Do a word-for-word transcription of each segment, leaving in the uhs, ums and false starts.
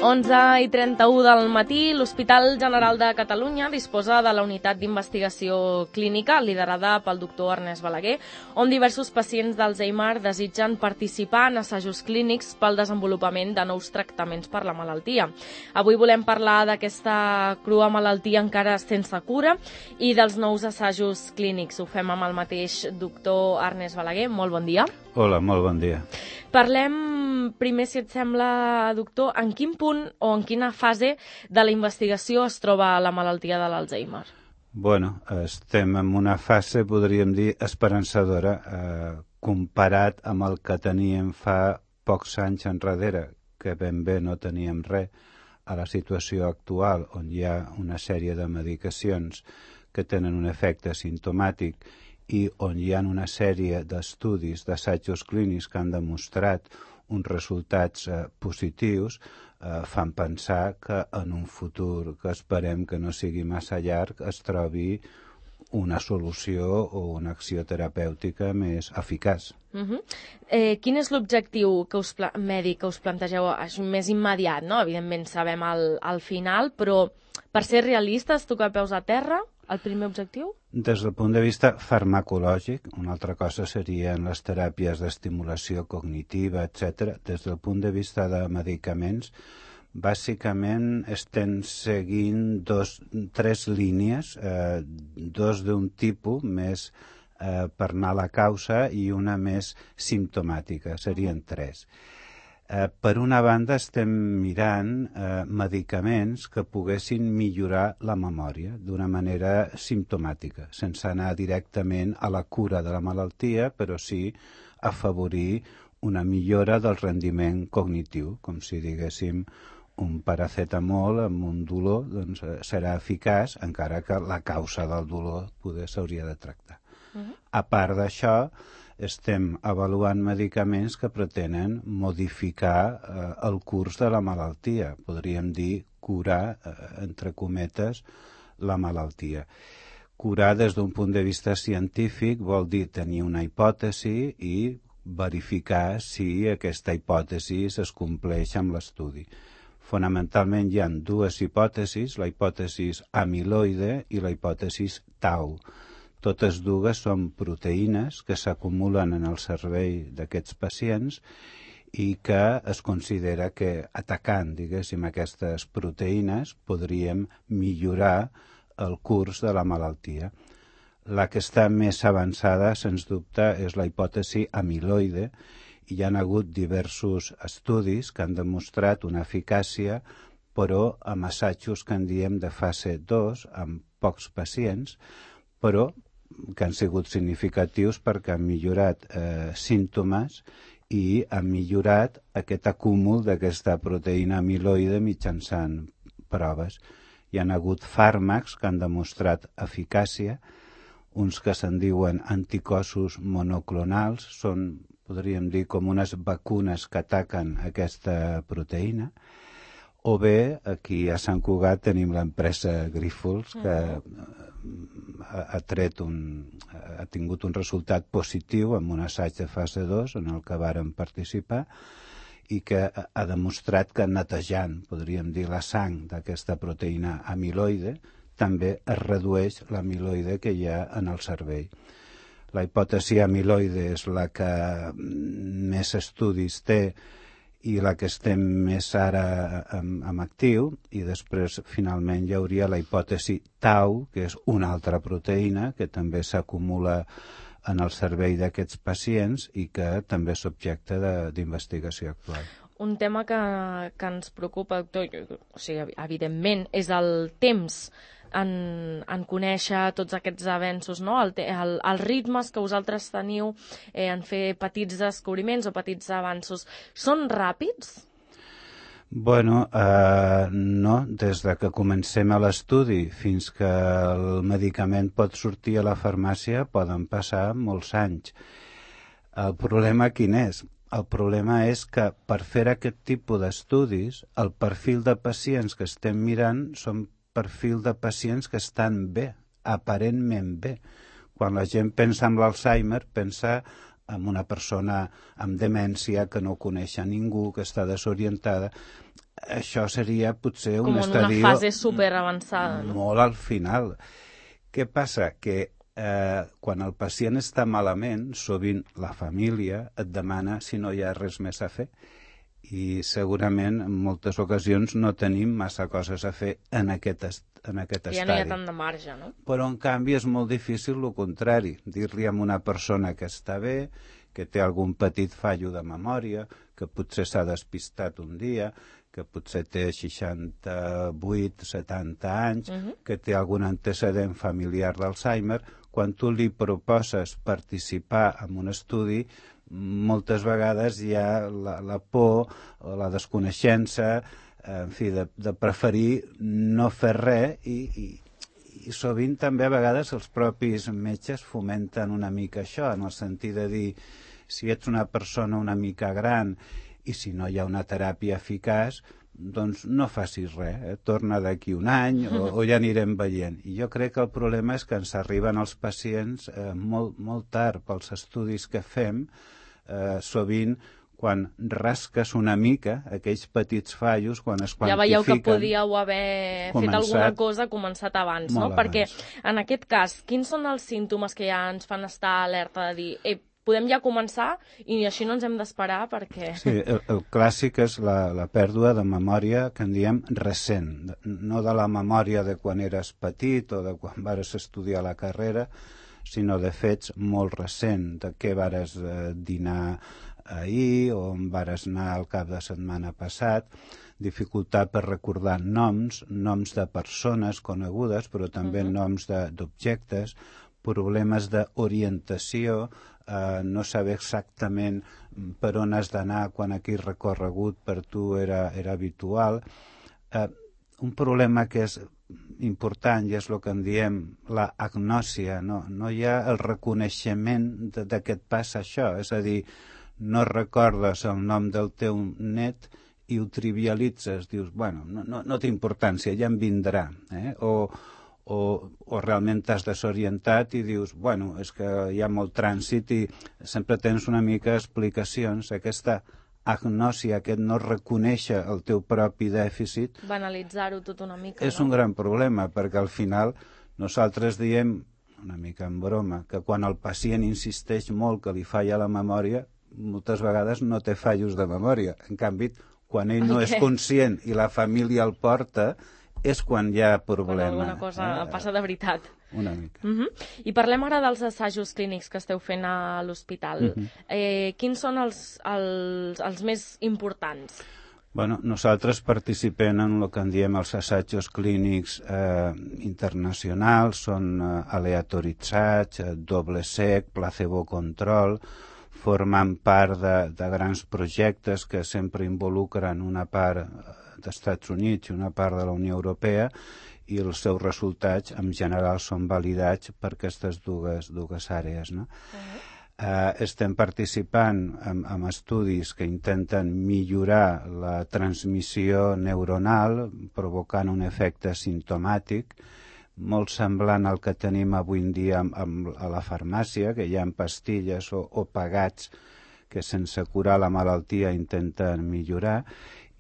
onze i trenta-u del matí, l'Hospital General de Catalunya disposa de la unitat d'investigació clínica liderada pel doctor Ernest Balaguer, on diversos pacients d'Alzheimer desitgen participar en assajos clínics pel desenvolupament de nous tractaments per la malaltia. Avui volem parlar d'aquesta crua malaltia encara sense cura i dels nous assajos clínics. Ho fem amb el mateix doctor Ernest Balaguer. Molt bon dia. Hola, molt bon dia. Parlem primer, si et sembla, doctor, en quin punt o en quina fase de la investigació es troba la malaltia de l'Alzheimer? Bueno, estem en una fase, podríem dir, esperançadora, eh, comparat amb el que teníem fa pocs anys enrere, que ben bé no teníem res, a la situació actual, on hi ha una sèrie de medicacions que tenen un efecte simptomàtic i on hi ha una sèrie d'estudis, d'assajos clínics que han demostrat uns resultats eh, positius, eh, fan pensar que en un futur que esperem que no sigui massa llarg es trobi una solució o una acció terapèutica més eficaç. Uh-huh. eh, quin és l'objectiu que us pla- mèdic que us plantegeu? És més immediat, no? Evidentment sabem el, el final, però per ser realistes, tocar peus a terra, el primer objectiu? Des del punt de vista farmacològic, una altra cosa serien les teràpies d'estimulació cognitiva, etcètera. Des del punt de vista de medicaments, bàsicament estem seguint dos, tres línies, eh, dos d'un tipus més eh, per anar a la causa i una més simptomàtica, serien tres. Eh, per una banda estem mirant eh, medicaments que poguessin millorar la memòria d'una manera simptomàtica, sense anar directament a la cura de la malaltia, però sí afavorir una millora del rendiment cognitiu, com si diguéssim un paracetamol amb un dolor doncs, serà eficaç, encara que la causa del dolor poder s'hauria de tractar. Uh-huh. A part d'això, estem avaluant medicaments que pretenen modificar eh, el curs de la malaltia, podríem dir curar, eh, entre cometes, la malaltia. Curar des d'un punt de vista científic vol dir tenir una hipòtesi i verificar si aquesta hipòtesi es compleix amb l'estudi. Fonamentalment hi ha dues hipòtesis, la hipòtesi amiloide i la hipòtesi tau. Totes dues són proteïnes que s'acumulen en el cervell d'aquests pacients i que es considera que atacant, diguéssim, aquestes proteïnes podríem millorar el curs de la malaltia. La que està més avançada, sens dubte, és la hipòtesi amiloide i hi ha hagut diversos estudis que han demostrat una eficàcia, però amb assajos que en diem de fase dos, amb pocs pacients, però que han sigut significatius perquè han millorat eh, símptomes i han millorat aquest acúmul d'aquesta proteïna amiloide mitjançant proves. Hi ha hagut fàrmacs que han demostrat eficàcia, uns que se'n diuen anticossos monoclonals, són, podríem dir, com unes vacunes que ataquen aquesta proteïna, o bé, aquí a Sant Cugat tenim l'empresa Grífols, que ha, ha, tret un, ha tingut un resultat positiu en un assaig de fase dos en el que vàrem participar i que ha demostrat que netejant, podríem dir, la sang d'aquesta proteïna amiloide també es redueix l'amiloide que hi ha en el cervell. La hipòtesi amiloide és la que més estudis té i la que estem més ara amb, amb actiu, i després finalment hi hauria la hipòtesi tau, que és una altra proteïna que també s'acumula en el cervell d'aquests pacients i que també és objecte d'investigació actual. Un tema que, que ens preocupa, doctor, o sigui, evidentment, és el temps en, en conèixer tots aquests avenços, no? el, el, els ritmes que vosaltres teniu eh, en fer petits descobriments o petits avanços, són ràpids? Bueno, eh, no. Des de que comencem a l'estudi fins que el medicament pot sortir a la farmàcia poden passar molts anys. El problema quin és? El problema és que per fer aquest tipus d'estudis, el perfil de pacients que estem mirant són perfil de pacients que estan bé, aparentment bé. Quan la gent pensa en l'Alzheimer, pensa amb una persona amb demència que no coneix a ningú, que està desorientada. Això seria potser un estadio... Com en una fase superavançada, no? Molt al final. Què passa? Que eh, quan el pacient està malament, sovint la família et demana si no hi ha res més a fer. I segurament en moltes ocasions no tenim massa coses a fer en aquest, est en aquest estadi. Ja no hi ha tant de marge, no? Però en canvi és molt difícil el contrari, dir-li a una persona que està bé, que té algun petit fallo de memòria, que potser s'ha despistat un dia, que potser té seixanta-vuit, setanta anys, uh-huh. que té algun antecedent familiar d'Alzheimer. Quan tu li proposes participar en un estudi, moltes vegades hi ha la, la por o la desconeixença, en fi, de, de preferir no fer res i, i, i sovint també a vegades els propis metges fomenten una mica això, en el sentit de dir, si ets una persona una mica gran i si no hi ha una teràpia eficaç, doncs no facis res, eh? Torna d'aquí un any o, o ja anirem veient. I jo crec que el problema és que ens arriben els pacients eh, molt, molt tard pels estudis que fem, eh, sovint quan rasques una mica aquells petits fallos, quan es quantifiquen... Ja veieu que podíeu haver començat, fet alguna cosa, començat abans, no? Abans. Perquè en aquest cas, quins són els símptomes que ja ens fan estar alerta de dir eh, podem ja començar i així no ens hem d'esperar perquè... Sí, el, el clàssic és la, la pèrdua de memòria que en diem recent, no de la memòria de quan eres petit o de quan vares estudiar la carrera, sinó de fets molt recent, de què vares eh, dinar ahir o on vares anar al cap de setmana passat, dificultat per recordar noms, noms de persones conegudes, però també uh-huh. noms d'objectes, problemes d'orientació, eh, no saber exactament per on has d'anar quan aquell recorregut per tu era, era habitual. Eh, un problema que és important i és el que en diem la agnòsia, no, no hi ha el reconeixement de, de que et passa això, és a dir, no recordes el nom del teu net i ho trivialitzes, dius, bueno, no, no, no té importància, ja em vindrà, eh? o, o, o realment t'has desorientat i dius, bueno, és que hi ha molt trànsit i sempre tens una mica explicacions, aquesta agnòsia, aquest no reconèixer el teu propi dèficit... Banalitzar-ho tot una mica, és no? un gran problema, perquè al final nosaltres diem, una mica en broma, que quan el pacient insisteix molt que li falla la memòria, moltes vegades no té fallos de memòria. En canvi, quan ell no és conscient i la família el porta, és quan hi ha problema. Quan alguna cosa eh? passa de veritat. Una mica. Uh-huh. I parlem ara dels assajos clínics que esteu fent a l'hospital. Uh-huh. eh, quins són els, els, els més importants? Bueno, nosaltres participem en el que en diem els assajos clínics eh, internacionals, són eh, aleatoritzats, eh, doble cec, placebo control, formant part de, de grans projectes que sempre involucren una part d'Estats Units i una part de la Unió Europea i els seus resultats en general són validats per aquestes dues, dues àrees, no? Uh-huh. Uh, estem participant en, en estudis que intenten millorar la transmissió neuronal provocant un efecte simptomàtic molt semblant al que tenim avui en dia amb, amb, a la farmàcia, que hi ha pastilles o, o pagats que sense curar la malaltia intenten millorar,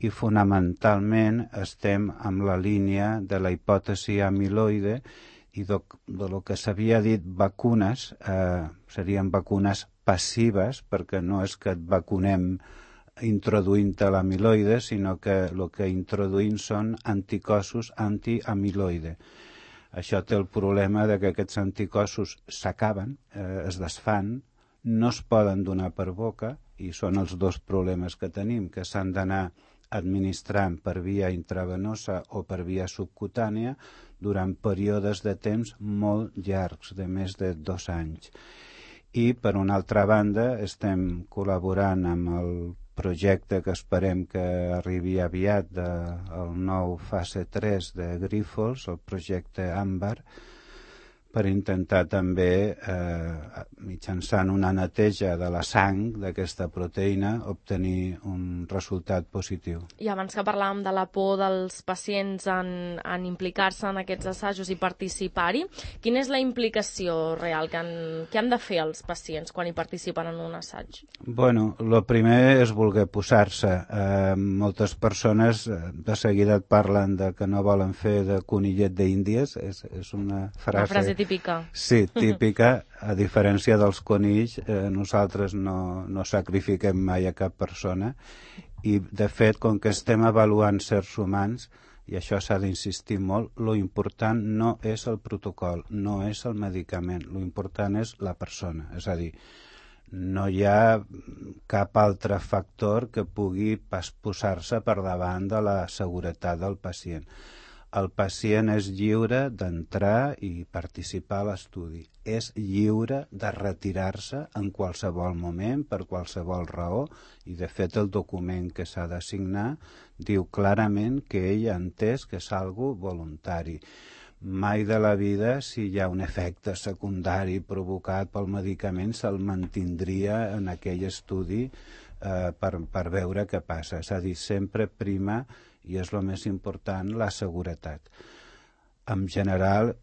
i fonamentalment estem amb la línia de la hipòtesi amiloide i de, de lo que s'havia dit vacunes, eh, serien vacunes passives, perquè no és que et vacunem introduint l'amiloide, sinó que el que introduïm són anticossos antiamiloide. Això té el problema de que aquests anticossos s'acaben, eh, es desfan, no es poden donar per boca, i són els dos problemes que tenim, que s'han d'anar administrant per via intravenosa o per via subcutània durant períodes de temps molt llargs, de més de dos anys. I, per una altra banda, estem col·laborant amb el projecte que esperem que arribi aviat del nou fase tres de Grífols, el projecte Àmbar, per intentar també, eh, mitjançant una neteja de la sang d'aquesta proteïna, obtenir un resultat positiu. I abans que parlàvem de la por dels pacients en, en implicar-se en aquests assajos i participar-hi, quina és la implicació real que han, que han de fer els pacients quan hi participen en un assaig? Bueno, el primer és voler posar-se. Eh, moltes persones de seguida et parlen de que no volen fer de conillet d'Índies, és, és una frase... Una frase típica. Sí, típica. A diferència dels conills, eh, nosaltres no, no sacrifiquem mai a cap persona i, de fet, com que estem avaluant certs humans, i això s'ha d'insistir molt, lo important no és el protocol, no és el medicament, lo important és la persona. És a dir, no hi ha cap altre factor que pugui pas posar-se per davant de la seguretat del pacient. El pacient és lliure d'entrar i participar a l'estudi. És lliure de retirar-se en qualsevol moment, per qualsevol raó, i de fet el document que s'ha de signar diu clarament que ell ha entès que és algo voluntari. Mai de la vida, si hi ha un efecte secundari provocat pel medicament, se'l mantindria en aquell estudi eh, per, per veure què passa. És a dir, sempre prima, i és el més important, la seguretat. En general,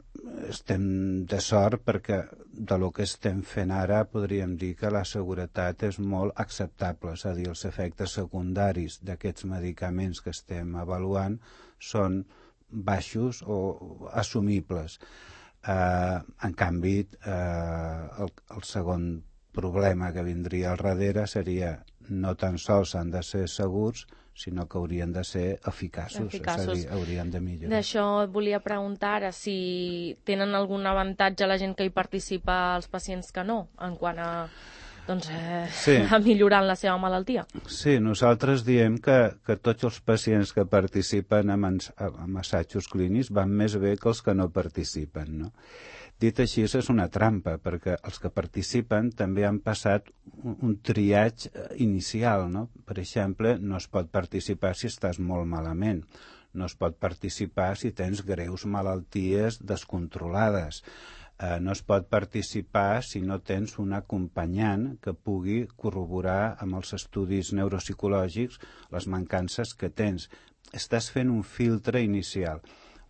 estem de sort perquè de lo que estem fent ara podríem dir que la seguretat és molt acceptable, és a dir, els efectes secundaris d'aquests medicaments que estem avaluant són baixos o assumibles. Eh, en canvi, eh, el, el segon problema que vindria al darrere seria no tan sols han de ser segurs, sinó que haurien de ser eficaços, eficaços. És a dir, haurien de millorar. D'això et volia preguntar ara si tenen algun avantatge la gent que hi participa als pacients que no, en quant a, doncs, eh, sí. a millorar la seva malaltia. Sí, nosaltres diem que, que tots els pacients que participen en, en assajos clínics van més bé que els que no participen, no? Dit així, és una trampa, perquè els que participen també han passat un, un triatge inicial, no? Per exemple, no es pot participar si estàs molt malament, no es pot participar si tens greus malalties descontrolades, eh, no es pot participar si no tens un acompanyant que pugui corroborar amb els estudis neuropsicològics les mancances que tens. Estàs fent un filtre inicial,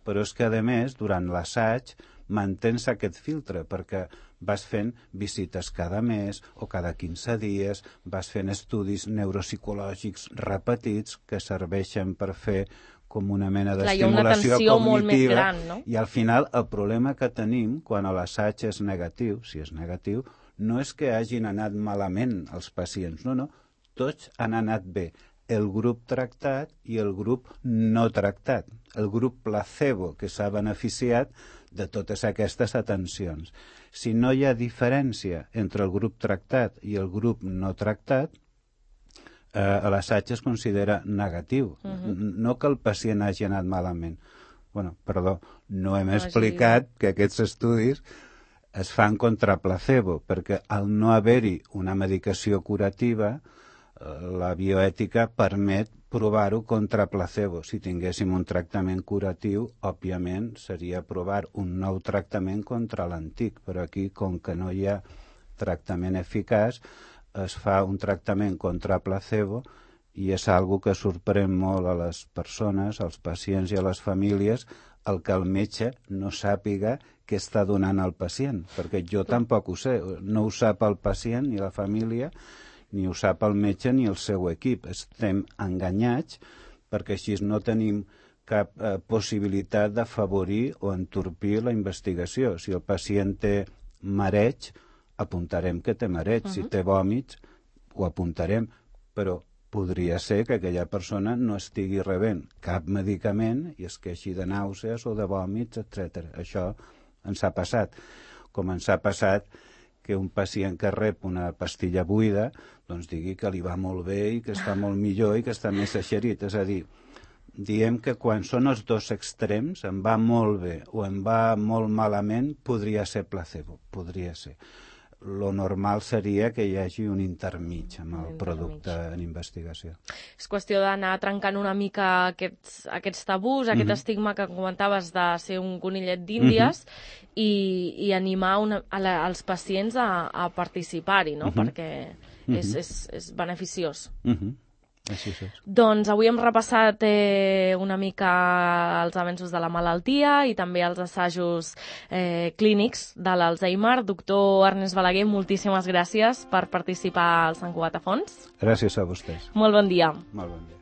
però és que, a més, durant l'assaig, mantens aquest filtre perquè vas fent visites cada mes o cada quinze dies, vas fent estudis neuropsicològics repetits que serveixen per fer com una mena d'estimulació cognitiva. Molt més gran, no? I al final el problema que tenim quan l'assaig és negatiu, si és negatiu, no és que hagin anat malament els pacients, no, no, tots han anat bé. El grup tractat i el grup no tractat. El grup placebo que s'ha beneficiat de totes aquestes atencions. Si no hi ha diferència entre el grup tractat i el grup no tractat, eh, l'assaig es considera negatiu. Uh-huh. No que el pacient hagi anat malament. Bueno, perdó, no hem no explicat que aquests estudis es fan contra placebo, perquè al no haver-hi una medicació curativa, la bioètica permet provar-ho contra placebo. Si tinguéssim un tractament curatiu, òbviament seria provar un nou tractament contra l'antic, però aquí, com que no hi ha tractament eficaç, es fa un tractament contra placebo i és algo que sorprèn molt a les persones, als pacients i a les famílies, el que el metge no sàpiga què està donant al pacient, perquè jo tampoc ho sé, no ho sap el pacient ni la família, ni ho sap el metge ni el seu equip. Estem enganyats perquè així no tenim cap eh, possibilitat d'afavorir o entorpir la investigació. Si el pacient té mareig, apuntarem que té mareig. Uh-huh. Si té vòmits, ho apuntarem. Però podria ser que aquella persona no estigui rebent cap medicament i es queixi de nàusees o de vòmits, etcètera. Això ens ha passat. Com ens ha passat que un pacient que rep una pastilla buida doncs digui que li va molt bé i que està molt millor i que està més eixerit. És a dir, diem que quan són els dos extrems, em va molt bé o em va molt malament, podria ser placebo, podria ser. lo normal seria que hi hagi un intermig amb el producte en investigació. És qüestió d'anar trencant una mica aquests, aquests tabús, aquest mm-hmm. estigma que comentaves de ser un conillet d'Índies mm-hmm. i, i animar una, a la, als pacients a, a participar-hi, no? Mm-hmm. Perquè mm-hmm. és, és, és beneficiós. Mm-hmm. Així és. Doncs avui hem repassat eh, una mica els avenços de la malaltia i també els assajos eh, clínics de l'Alzheimer. Doctor Ernest Balaguer, moltíssimes gràcies per participar al Sant Cugat a Fons. Gràcies a vostès. Molt bon dia. Molt bon dia.